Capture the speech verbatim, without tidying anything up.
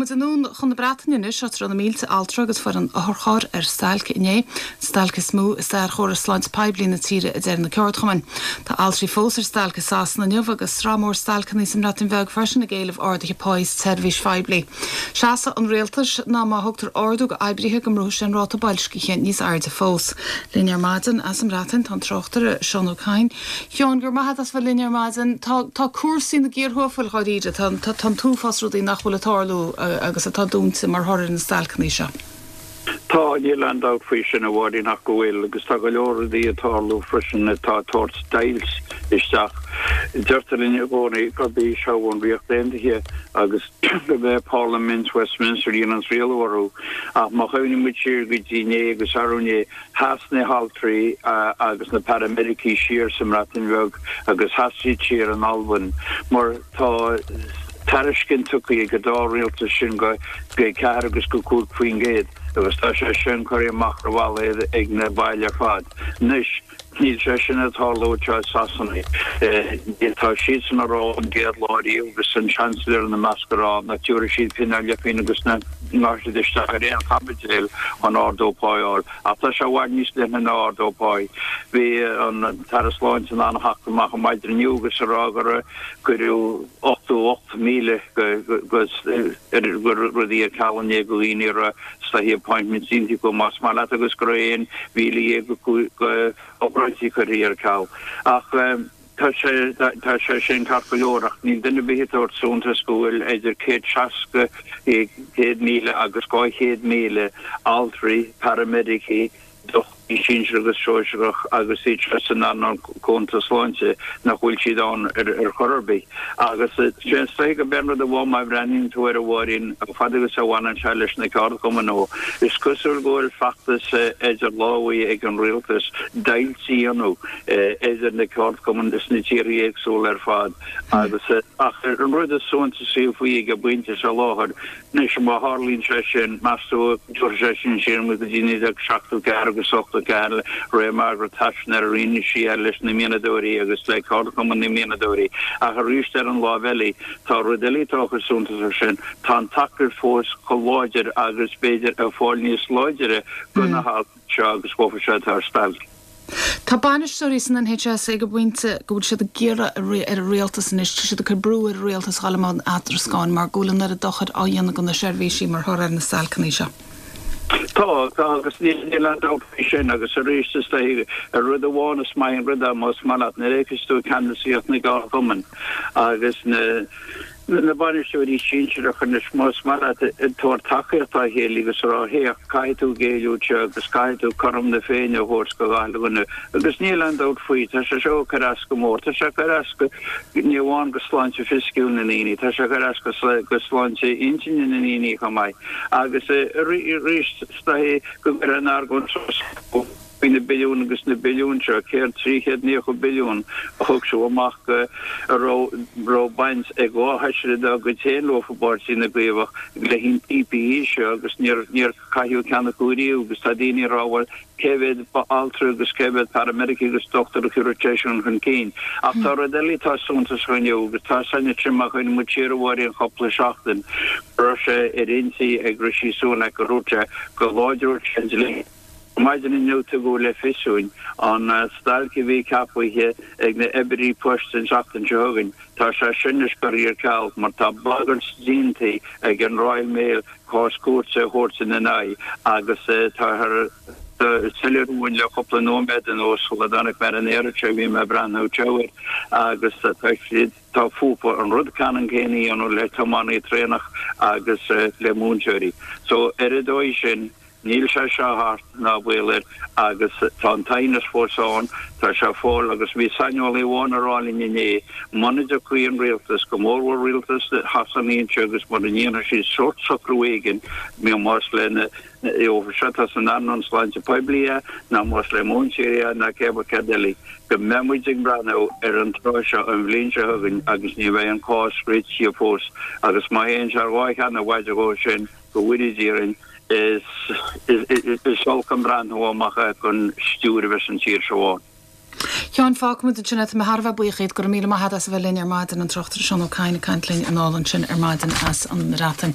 Gabhfaidh muid anonn chun na Breataine anois áit a raibh na mílte altra agus foireann otharchairr ar stailc inné, stailc is mó i stair chóras sláinte poiblí na tíre a deir na ceardchumainn. Tá altraí fós ar stailc i Sasana inniu agus sraith mór stailceanna sa mBreatain Bheag freisin ag éileamh arduithe páí sa tseirbhís phoiblí. Seasamh an rialtais ná má thugtar ardú go oibrithe go mbrúfaidh sé an ráta boilscithe níos airde fós. Linn ar maidin as an mBreatain tá an tráchtaire Seán Ó Cadhain. Sheáin go raibh maith agat as bheith linn ar maidin tá tá cúrsaí na gcíorthuafail dháiríre tá tá an t-uafás rudaí nach bhfuil ag tarlú agus atá dúnta mar thoradh na stailceanna seo. Tá níl aon dabht faoi sin a Mháirín ach go bhfuil agus tá go leor rudaí ag tarlú freisin atá ag tabhairt deighilt isteach. Deirtear linn i gcónaí gurb í seo an Ríocht Aontaithe agus gurb é Parlaimint Westminster a dhéanann rialú orthu ach má chuimhníonn muid siar go dtí inné agus arú inné sheas na haltraí agus na paramedicí siar sa mBreatain Bheag agus sheas siad siar in Albain mar tá tairiscint tugtha ag an dá rialtas sin go ceathair agus go cúig faoin gcéad agus tá sé sin curtha amach ar bhalla ag na baill ar fad. Anois níl sé sin ag tarlú anseo i Sasana. Tá siadsan ag rá an gcéad lá riamh agus an Chancellor ina measc ag rá nach dtabharfaidh siad pingin ná leathphingin agus nach ngearrfaidh siad isteach ar aon chaibidil chun ardú pá a fháil. Ach tá sé i bhfad níos leithne ná ardú pá. Bhí an tAire Sláinte in ann a theacht amach an maidin inniu agus a rá gur cuireadh ochtó ocht míle go rudaí ar ceal inné go dhaoine a raibh is appointments déanta acu más maith leat agus go raibh aon mhíle dhéag go obráidí curtha ar ceal. Ach tá sé tá sé sin ceart go leor ach níl duine ar bith ag tabhairt suntas go bhfuil idir céad seasca céad míle agus dhá chéad míle altraí, paramedicí, dochtúirí sinsir agus sóisearach agus iad seo san earnáil cúnta sláinte nach bhfuil siad ann ar chor ar bith. Agus sé is dóigh gurb é an rud amháin má bhreathnaíonn tú air a Mháirín, fad agus a bhaineann sé leis na ceardchumainn ó, is cosúil go bhfuil feachtas idir lámha ag an rialtas deighilt a dhéanamh idir na ceardchumainn sna tíortha éagsúla ar fad agus ach an rud is suntasaí faoi ag an bpointe seo láthair Anois, má tharlaíonn sé sin, meas tú an dtabharfaidh sé sin siar muid go dtí naoi déag seachtó ceathair agus ochtó ceathair le ré Margaret Thatcher nuair a rinne sí é leis na mianadóirí agus le ceardchumann na mianadóirí. Ach arís ar an láimh eile, tá rud eile atá chomh suntasach sin, tá an tacaíocht fós chomh láidir agus b'fhéidir ag fáil níos láidire do na haltraí seo agus dófa seo atá ar stailc. Tá bainisteoirí san NHS ag an bpointe go bhfuil siad ag iarraidh ar an rialtas anois, tá siad ag cur brú ar an rialtas dul i mbun eadrascáin mar go bhfuil an oiread dochair á dhéanamh do na seirbhísí mar thoradh ar na stailceanna seo. Tá, tá agus níl aon dabht faoi sin agus arís is dóigh ar rud amháin is maith an rud é más maith leat nuair a fheiceas tú ceannasaíocht na gceardchumann agus na na bainisteoirí sinsearacha anois, más maith leat, ag tabhairt tacaíocht dá chéile agus a rá, Féach, caithfidh tú géilleadh anseo agus caithfidh tú cothrom na Féinne a thabhairt do gach dhuine. Agus níl aon dabht faoi, tá sé seo ag cur as go mór. Tá sé ag cur as go, ní amháin go sláinte fisiciúil na ndaoine, tá sé ag cur as go sláinte intinne na ndaoine chomh maith. Agus arís, is dóigh go gcuirfidh an argóint suas. faoi na billiúin agus na billiúin seo, céard, trí chéad naocha billiún a thug siad amach go a raibh raibh baint ag dhá fheisire dá gcuid féin leo i bPáirtí na gCaomhach le an PPE seo agus níor níor caitheadh ceann acu riamh agus tá daoine ag rá bhuel cé mhéad altra agus cé mhéad paramedic agus dochtúir a chuir sé sin chun cinn. Ach tá rud eile atá suntasach inniu agus tá san sin má chuimhníonn muid siar a Mháirín cúpla seachtain go raibh sé ar intinn ag Rishi Sunak go raibh sé go láidreodh sé an dlí Maidin inniu tugadh le fios dúinn an stailc a bhí ceapaithe ag na oibrithe poist an tseachtain seo chugainn, tá sé sin anois curtha ar ceal mar tá bagairt déanta ag an Royal Mail cás cúirte a thabhairt ina n-aghaidh agus táthar ag soiléiriú dúinn le cúpla nóiméad anuas sula dtáinig mé ar an aer anseo bhí mé ag breathnú anseo air agus tá siad tá fúthu an rud ceannann céanna a dhéanamh le tiománaithe traenach agus le múinteoirí. So ar an dóigh sin Níl sé seo thart, ná baol air, agus tá an t-aighneas fós ann, tá sé ag fáil, agus bhí saineolaí amháin ag rá linn inné, muna dtiocfaidh an rialtas, go mórmhór rialtas Shasana anseo agus mura ndéanfaidh siad sórt socrú éigin, más le na seo atá san earnáil sláinte poiblí é, ná más le múinteoirí é, ná cé céard eile, go mbeidh muid ag breathnú ar an tráth seo an bhliain seo chugainn agus ní bheidh an cás réitithe fós, agus má théann sé ar dhá cheann i bhfaide dhó sin, go bhfóire Dia orainn, is is olc an breathnú amach é don stiúir a bheas an tír seo ann. Sheáin, fágfaimid ansin é. Tá mé thar a bheith buíoch díot. Go raibh míle maith agat as a bheith linn ar maidin, an tráchtaire Seán Ó Cadhain ag caint linn anall ansin ar maidin as an mBreatain.